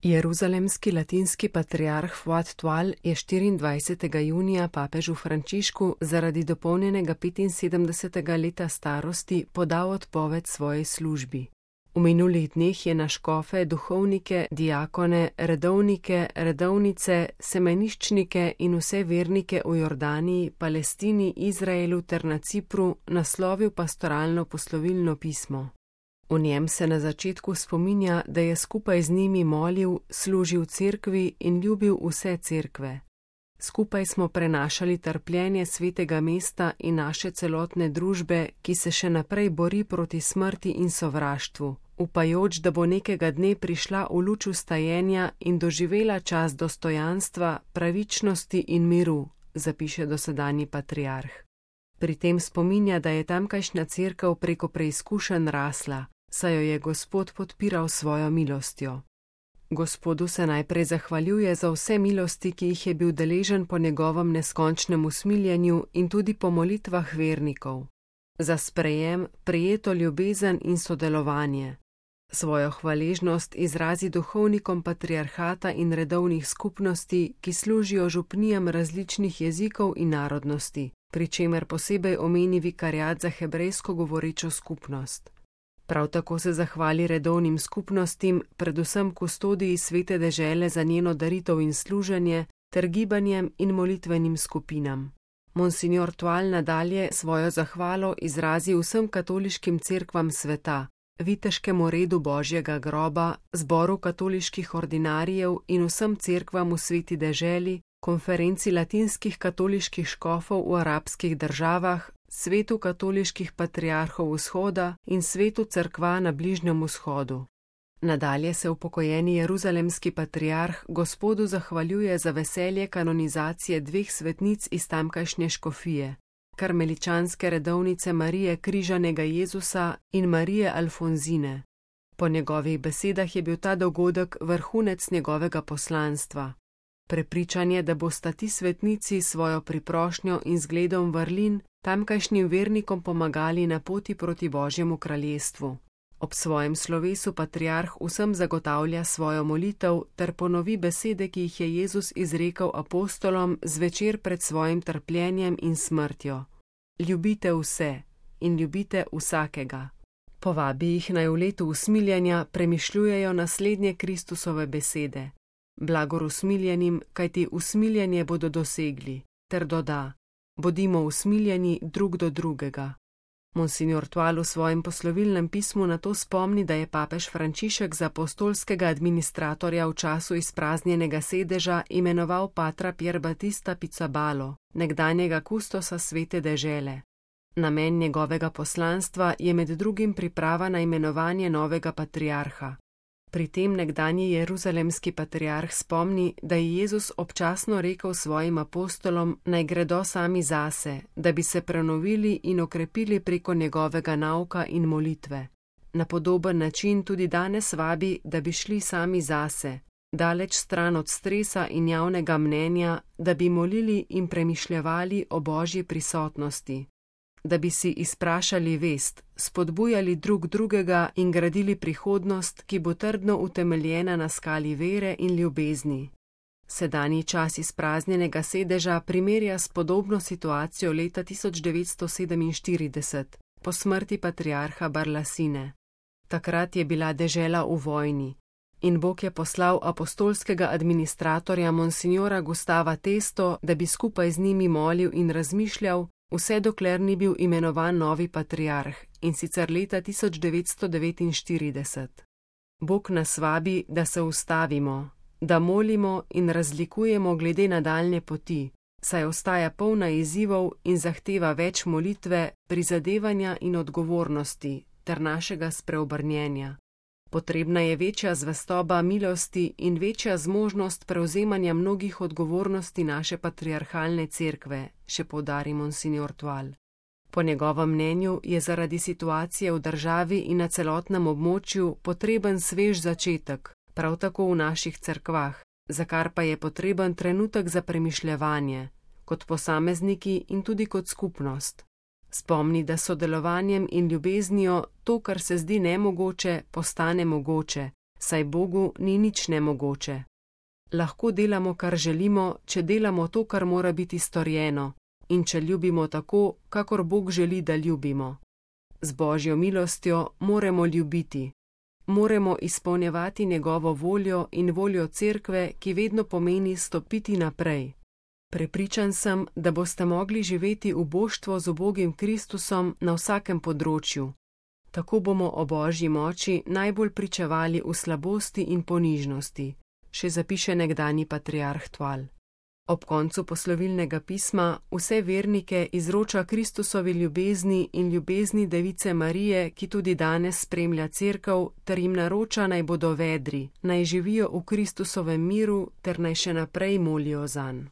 Jeruzalemski latinski patriarh Fuad Tual je 24. junija papežu Frančišku zaradi dopolnjenega 75. leta starosti podal odpoved svoji službi. V minulih dneh je na škofe, duhovnike, diakone, redovnike, redovnice, semeniščnike in vse vernike v Jordaniji, Palestini, Izraelu ter na Cipru naslovil pastoralno poslovilno pismo. V njem se na začetku spominja, da je skupaj z njimi molil, služil cerkvi in ljubil vse cerkve. Skupaj smo prenašali trpljenje svetega mesta in naše celotne družbe, ki se še naprej bori proti smrti in sovraštvu, upajoč, da bo nekega dne prišla v luč vstajenja in doživela čas dostojanstva, pravičnosti in miru, zapiše dosedanji patriarh. Pri tem spominja, da je tamkajšnja cerkev preko preizkušenj rasla, saj jo je Gospod podpiral svojo milostjo. Gospodu se najprej zahvaljuje za vse milosti, ki jih je bil deležen po njegovem neskončnem usmiljenju in tudi po molitvah vernikov. Za sprejem, prijeto ljubezen in sodelovanje. Svojo hvaležnost izrazi duhovnikom patriarhata in redovnih skupnosti, ki služijo župnijam različnih jezikov in narodnosti, pri čemer posebej omeni vikariat za hebrejsko govorečo skupnost. Prav tako se zahvali redovnim skupnostim, predvsem kustodiji svete dežele za njeno daritev in služenje, ter gibanjem in molitvenim skupinam. Monsignor Tual nadalje svojo zahvalo izrazi vsem katoliškim cerkvam sveta, viteškemu redu Božjega groba, zboru katoliških ordinarijev in vsem cerkvam v sveti deželi, konferenci latinskih katoliških škofov v arabskih državah, svetu katoliških patriarhov vzhoda in svetu cerkva na Bližnjem vzhodu. Nadalje se upokojeni jeruzalemski patriarh Gospodu zahvaljuje za veselje kanonizacije dveh svetnic iz tamkajšnje škofije, karmeličanske redovnice Marije Križanega Jezusa in Marije Alfonzine. Po njegovih besedah je bil ta dogodek vrhunec njegovega poslanstva. Prepričan je, da bosta ti svetnici svojo priprošnjo in zgledom vrlin tamkajšnjim vernikom pomagali na poti proti Božjemu kraljestvu. Ob svojem slovesu patriarh vsem zagotavlja svojo molitev ter ponovi besede, ki jih je Jezus izrekel apostolom zvečer pred svojim trpljenjem in smrtjo. Ljubite vse in ljubite vsakega. Povabi jih naj v letu usmiljenja premišljujejo naslednje Kristusove besede. Blagor usmiljenim, kajti usmiljenje bodo dosegli, ter doda: bodimo usmiljeni drug do drugega. Monsignor Tual v svojem poslovilnem pismu na to spomni, da je papež Frančišek za apostolskega administratorja v času izpraznjenega sedeža imenoval patra Pier Battista Pizzabalo, nekdanjega kustosa svete dežele. Namen njegovega poslanstva je med drugim priprava na imenovanje novega patriarha. Pri tem nekdanji jeruzalemski patriarh spomni, da je Jezus občasno rekel svojim apostolom, naj gredo sami zase, da bi se prenovili in okrepili preko njegovega nauka in molitve. Na podoben način tudi danes vabi, da bi šli sami zase, daleč stran od stresa in javnega mnenja, da bi molili in premišljevali o Božji prisotnosti. Da bi si izprašali vest, spodbujali drug drugega in gradili prihodnost, ki bo trdno utemeljena na skali vere in ljubezni. Sedanji čas izpraznjenega sedeža primerja s podobno situacijo leta 1947, po smrti patriarha Barlasine. Takrat je bila dežela v vojni in Bog je poslal apostolskega administratorja monsignora Gustava Testo, da bi skupaj z njimi molil in razmišljal, vse dokler ni bil imenovan novi patriarh, in sicer leta 1949. Bog nas vabi, da se ustavimo, da molimo in razlikujemo glede nadaljnje poti, saj ostaja polna izzivov in zahteva več molitve, prizadevanja in odgovornosti ter našega spreobrnjenja. Potrebna je večja zvestoba milosti in večja zmožnost prevzemanja mnogih odgovornosti naše patriarhalne cerkve, še poudari monsignor Tual. Po njegovem mnenju je zaradi situacije v državi in na celotnem območju potreben svež začetek, prav tako v naših cerkvah, za kar pa je potreben trenutek za premišljevanje, kot posamezniki in tudi kot skupnost. Spomni, da sodelovanjem in ljubeznijo to, kar se zdi nemogoče, postane mogoče, saj Bogu ni nič nemogoče. Lahko delamo, kar želimo, če delamo to, kar mora biti storjeno, in če ljubimo tako, kakor Bog želi, da ljubimo. Z Božjo milostjo moramo ljubiti. Moramo izpolnjevati njegovo voljo in voljo cerkve, ki vedno pomeni stopiti naprej. Prepričan sem, da boste mogli živeti v boštvo z ubogim Kristusom na vsakem področju. Tako bomo o Božji moči najbolj pričevali v slabosti in ponižnosti, še zapiše nekdanji patriarh Toile. Ob koncu poslovilnega pisma vse vernike izroča Kristusovi ljubezni in ljubezni Device Marije, ki tudi danes spremlja cerkev, ter jim naroča, naj bodo vedri, naj živijo v Kristusovem miru ter naj še naprej molijo zanj.